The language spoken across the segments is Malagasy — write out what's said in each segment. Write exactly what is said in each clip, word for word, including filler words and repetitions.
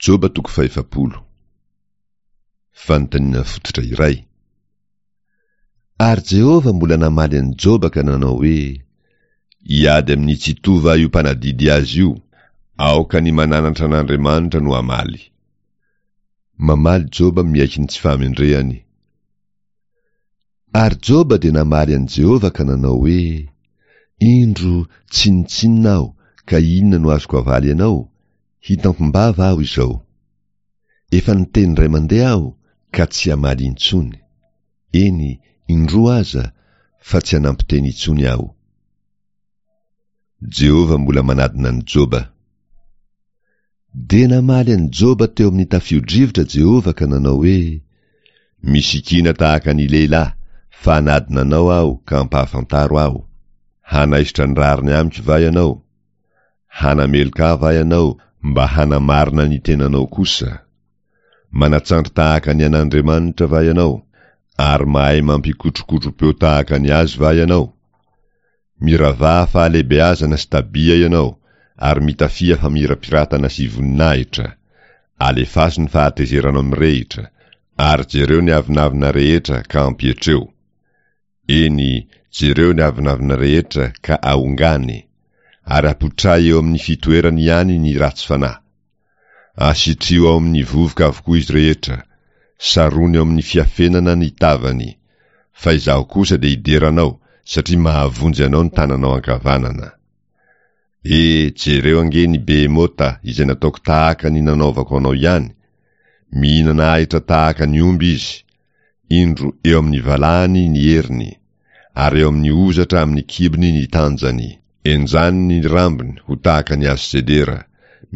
Joba toko fahefapolo. Fanontaniana fototra iray. Ary Jehovah mbola namaly an'i Joba ka nanao hoe, Hiady amin'ny Tsitoha va io mpanadidy azy io? Aoka ny mananatra an'Andriamanitra no hamaly. Mamaly Joba miaiky ny tsy fahamendrehany. Ary Joba dia namaly an'i Jehovah ka nanao hoe, Indro, tsinontsinona aho, ka inona no azoko avaly anao? Hitampim-bava aho izao. Efa niteny indray mandeha aho, ka tsy hamaly intsony. Eny, indroa aza, fa tsy hanampy teny intsony aho. Jehovah mbola manadina an'i Joba. Dia namaly an'i Joba teo amin'ny tafio-drivotra Jehovah ka nanao hoe, Misikina tahaka ny lehilahy, fa hanadina anao aho ka ampahafantaro aho. Hanaisotra ny rariny amiko va ianao? Hanameloka ahy va ianao mba hanamarina ny tenanao kosa? Manatsandry tahaka ny an'Andriamanitra va ianao? Ary mahay mampikotrokotro-peo tahaka ny azy va ianao? Miravaha fahalehibeazana sy tabia ianao, ary mitafia famirapiratana sy voninahitra. Alefaso ny fahatezeranao mirehitra, ary jereo ny avonavona rehetra ka ampietreo. Eny, jereo ny avonavona rehetra ka ahongany, ary apotray eo amin'ny fitoerany ihany ny ratsy fanahy. Asitriho ao amin'ny vovoka avokoa izy rehetra, sarony ao amin'ny fiafenana ny tavany, fa izaho kosa dia hidera anao, satria mahavonjy anao ny tananao ankavanana. E, jereo ange ny Behemota izay nataoko tahaka ny nanaovako anao ihany, mihinana ahitra tahaka ny omby izy, indro eo amin'ny valahany ny heriny, ary eo amin'ny hozatra amin'ny kibony ny tanjany. Enjany ny rambony ho tahaka ny hazo sedera,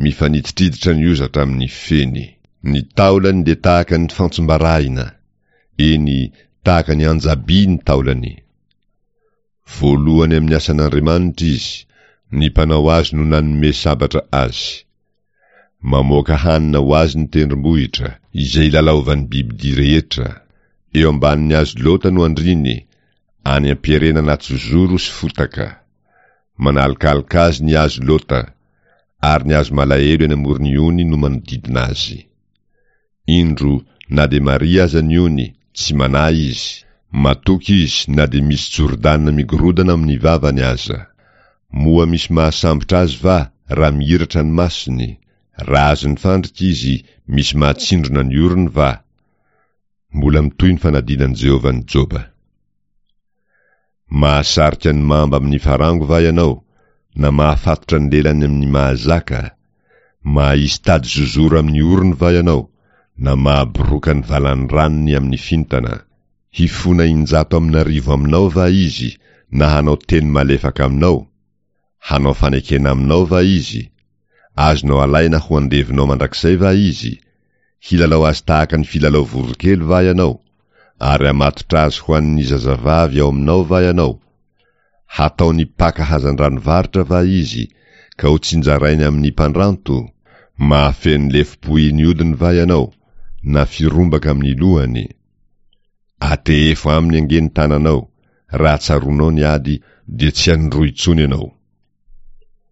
mifanititriditra ny hozatra amin'ny feny. Ny taolany dia tahaka ny fantsom-barahina, eny, tahaka ny anja-by ny taolany. Voalohany amin'ny asan'Andriamanitra izy, ny mpanao azy no nanome sabatra azy. Mamoaka hanina ho azy ny tendrombohitra, izay ilalaovan'ny bibidia rehetra. Eo ambanin'ny hazo lota no andriany, any am-pierena anaty zozoro sy fotaka. Manalokaloka azy ny hazo lota, ary ny hazo malahelo eny amoron'ny ony no manodidina azy. Indro, na dia maria aza ny ony, tsy manahy izy. Matoky izy na dia misy Jordana migorodana amin'ny vavany aza. Moa misy mahasambotra azy va raha mihiratra ny masony? Raha azon'ny fandrika izy, misy mahatsindrona ny orony va? Mbola mitohy ny fanadinan'i Jehovah an'i Joba. Mahasarika ny mamba amin'ny farango va ianao, na mahafatotra ny lelany amin'ny mahazaka? Mahaisy tady zozoro amin'ny orony va ianao, na mahaboroka ny valan-dranony amin'ny fintana? Hifona injato amin'arivo aminao va izy, na hanao teny malefaka aminao? Hanao fanekena aminao va izy? Azonao alaina ho andevonao mandrakizay va izy? Hilalao azy tahaka ny filalao voronkely va ianao? Ary hamatotra azy ho an'ny zazavavy ao aminao va ianao? Hataony mpaka hazandrano varotra va izy, ka ho tsinjarainy amin'ny mpandranto? Mahafeno lefom-pohy ny hodiny va ianao, na firombaka amin'ny lohany? Atehefo aminy ange ny tananao, raha tsaroanao ny ady, dia tsy hanindroa intsony ianao.